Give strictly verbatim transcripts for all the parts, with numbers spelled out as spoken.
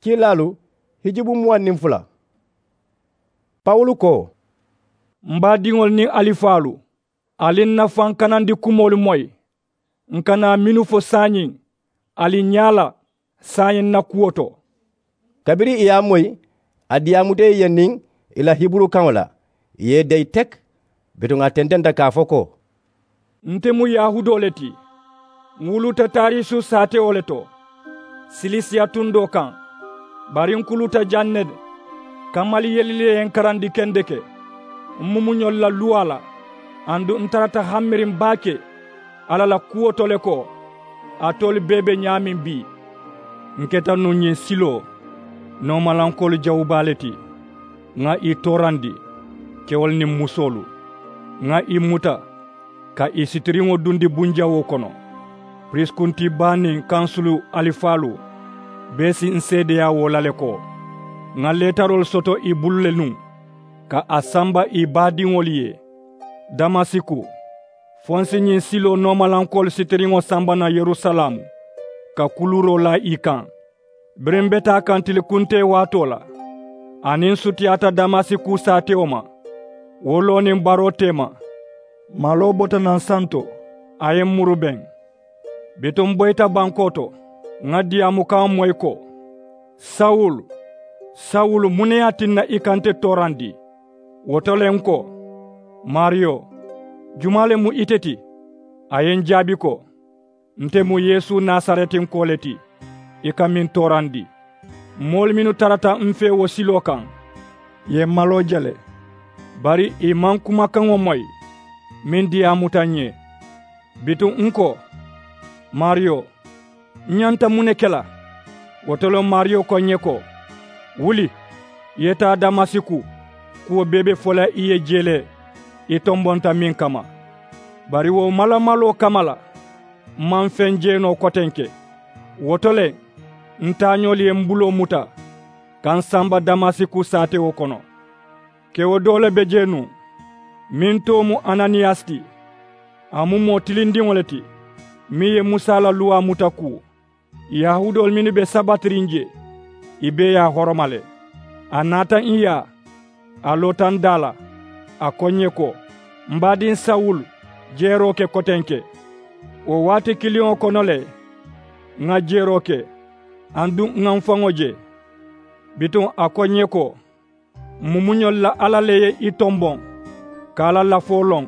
Kiilaalu hijubu muwaŋ niŋ fula. Pawulu ko, m baadiŋolu niŋ alifaalu, ali n na faŋ kanandi kumoolu moyi. N kana mennu fo saayiŋ, ali ñaa la saayiŋ n na kuwo to. Kabiriŋ ì ye a moyi, a diyaamuta ì ye niŋ ì la hiburukaŋo la, ì ye ì deyi teki. Bituŋ a tententa ka a fo ko, nte mu yahudoo le ti. N wuluta tariisu saatewo le to, silisiya tundoo kaŋ. Bari n kuluta jaŋ ne de. Kamali yelili le ye n karandi kendeke. M mumuñolu la luwaa la, aduŋ n tarata hammiriŋ baake alla la kuwo to le ko, alitolu bee be ñaameŋ bii. N keta nuŋ ñiŋ siloo noomalankoolu jawubaa le ti. Ŋà ì toorandi, kewolu niŋ musoolu. Ŋà ì muta ka ì sitiriŋo dundi bunjawoo kono. Piriisikuntii baa niŋ kansulu alifaalu bee si n seedeyaa wo la le ko, ŋà leetaroolu soto ì bulu le nuŋ ka a samba ì baadiŋolu ye damasiku, fo n si ñiŋ siloo noomalankoolu sitiriŋo samba naŋ yerusalaamu, ka kuluuroo laa ì kaŋ. Biriŋ m be taa kaŋ tili kuntee waatoo la, aniŋ n sutiyaata damasiku saatewo ma. Wo loo niŋ baroo teema, maloo bota naŋ santo, a ye m muru beŋ. Bituŋ m boyita bankoo to, ŋà diyaamukaŋo moyi ko, sawulu, sawulu, muŋ ne ye a tinna i ka nte toorandi? Wo to le n ko, maariyo, jumaa le mu ite ti? A ye n jaabi ko, nte mu yeesu nasaretinkoo le ti, i ka meŋ toorandi. Moolu mennu tarata m fee wo siloo kaŋ, ì ye m maloo je le. Bari ì maŋ kumakaŋo moyi meŋ diyaamuta ǹ ye. Bituŋ n ko, maariyo, n ñanta muŋ ne ke la? Wo to le maariyo ko ǹ ye ko, wuli, i ye taa damasiku. Kuwo bee be fo la i ye jee le, i tombonta meŋ kamma. Bari wo malamaloo kamma la, m maŋ feŋ jee noo kotenke. Wo to le, n taañoolu ye m buloo muta ka n samba damasiku saatewo kono. Kewo doo le be jee nuŋ, meŋ too mu ananiyasi ti. A mu moo tilindiŋo le ti, meŋ ye musa la luwaa muta kuu. Yahuudoolu mennu be sabatiriŋ jee, ì bee ye a horoma le. A naata ǹ yaa, a loota n daa la, a ko ǹ ye ko, m baadiŋ sawulu, jeeroo ke kotenke. Wo waati kiliŋo kono le, ŋà jeeroo ke, aduŋ ŋà m faŋo je. Bituŋ a ko ǹ ye ko, m mumuñolu la alla le ye i tomboŋ ka a la lafoo loŋ.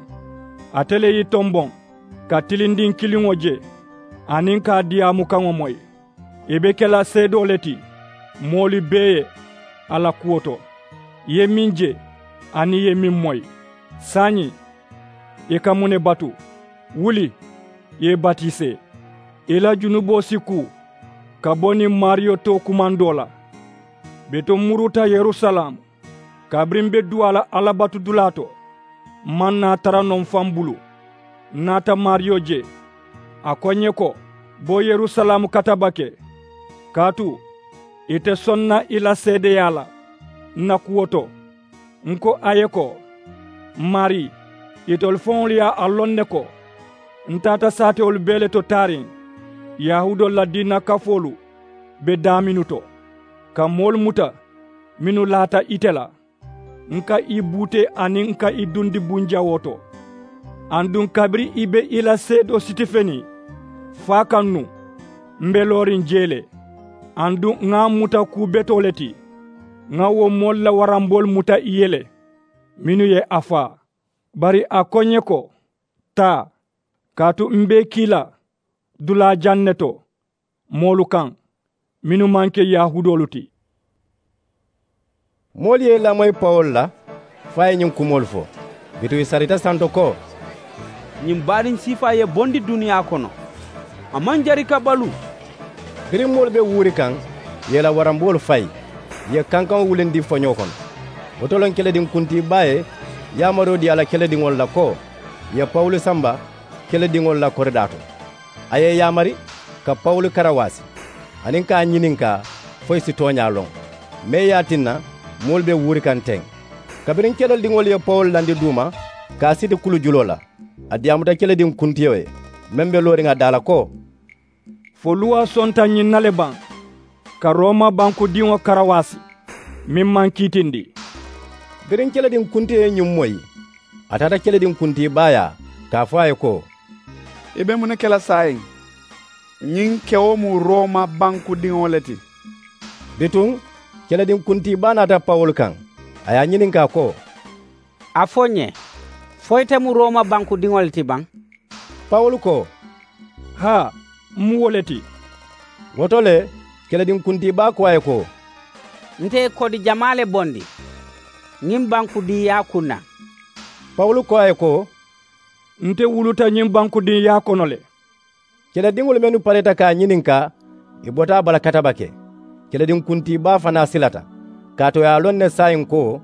Ate le ye i tomboŋ ka tilindiŋ kiliŋo je, aniŋ ka a diyaamukaŋo moyi. I be ke la seedoo le ti moolu bee ye a la kuwo to, i ye meŋ je aniŋ i ye meŋ moyi. Saayiŋ, i ka muŋ ne batu? Wuli, i ye i batisee, i la junuboo si kuu ka bo niŋ maariyo tookumandoo la. Bituŋ m muruta yerusalaamu, kabiriŋ m be duwaa la alabatudulaa to, m maŋ naa tara noo m faŋ bulu. N naata maariyo je, a ko ǹ ye ko, bo yerusalaamu katabake, kaatu ì te soŋ na i la seedeyaa la n na kuwo to. N ko a ye ko, m maarii, itolu faŋolu ye a loŋ ne ko, n taata saatewolu bee le to taariŋ, yahuudoolu la diina kafoolu be daamennu to, ka moolu muta mennu laata ite la. N ka i buutee aniŋ n ka i dundi bunjawoo to. Aduŋ kabiriŋ i be i la seedoo sitifeniŋ faa kaŋ nuŋ, m be looriŋ jee le. Aduŋ ŋà a muta kuu betoo le ti, ŋà wo moolu la waramboolu muta i ye le, mennu ye a faa. Bari a ko ǹ ye ko, taa, kaatu m be i kii la dulaa jaŋ ne to moolu kaŋ mennu maŋ ke yahuudoolu ti. Moolu ye i lamoyi pawulu la fo a ye ñiŋ kumoolu fo. Bituŋ ì sarita santo ko, ñiŋ baaniŋ siifaa ye bondi duniyaa kono, a maŋ jari ka baluu. Biriŋ moolu be wuuri kaŋ, ì ye i la waramboolu fayi, ì ye kankaŋo wulindi foñoo kono. Wo to le kelediŋ kuntii baa ye yaamaroo dii a la kelediŋolu la ko, ì ye pawulu samba kelediŋolu la koridaa to. A ye ì yaamari ka pawulu karawaasi, aniŋ ka a ñininkaa fo ì si tooñaa loŋ, mee ye a tinna moolu be wuuri kaŋ teŋ. Kabiriŋ kelediŋolu ye pawulu landi duuma ka a siti kulu juloo la, a diyaamuta kelediŋ kuntiyo ye, meŋ be looriŋ a daa la ko, fo luwaa sonta ñiŋ na le baŋ? ka roma bankudiŋo karawaasi, meŋ maŋ kiitindi. Biriŋ kelediŋ kuntiyo ye ñiŋ moyi, a taata kelediŋ kuntii baayaa, ka a fo a ye ko, i be muŋ ne ke la saayiŋ? Ñiŋ kewo mu roma bankudiŋo le ti. Bituŋ kelediŋ kuntii baa naata pawulu kaŋ, a ye a ñininkaa ko, a fo ǹ ye, fo ite mu roma bankudiŋo le ti baŋ? Pawulu ko, haa, m mu wo le ti. Wo to le, kelediŋ kuntii baa ko a ye ko, nte ye kodi jamaa le bondi ñiŋ bankudiŋyaa kuŋ na. Pawulu ko a ye ko, nte wuluta ñiŋ bankudiŋyaa kono le. Kelediŋolu mennu pareeta ka a ñininkaa, ì bota a bala katabake. Kelediŋ kuntii baa fanaa silata, kaatu ì ye a loŋ ne saayiŋ ko,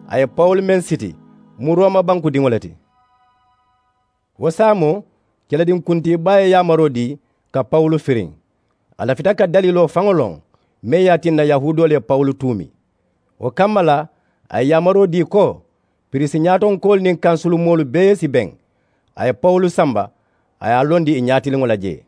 a ye pawulu meŋ siti mu roma bankudiŋo le ti. Wo saamoo, kelediŋ kuntii baa ye yaamaroo dii ka pawulu firiŋ. A lafita ka daliiloo faŋo loŋ meŋ ye a tinna yahuudoolu ye pawulu tuumi. Wo kamma la, a ye yaamaroo dii ko, piriisi ñaatonkoolu niŋ kansulu moolu bee si beŋ. A ye pawulu samba, a ye a londi ì ñaatiliŋo la jee.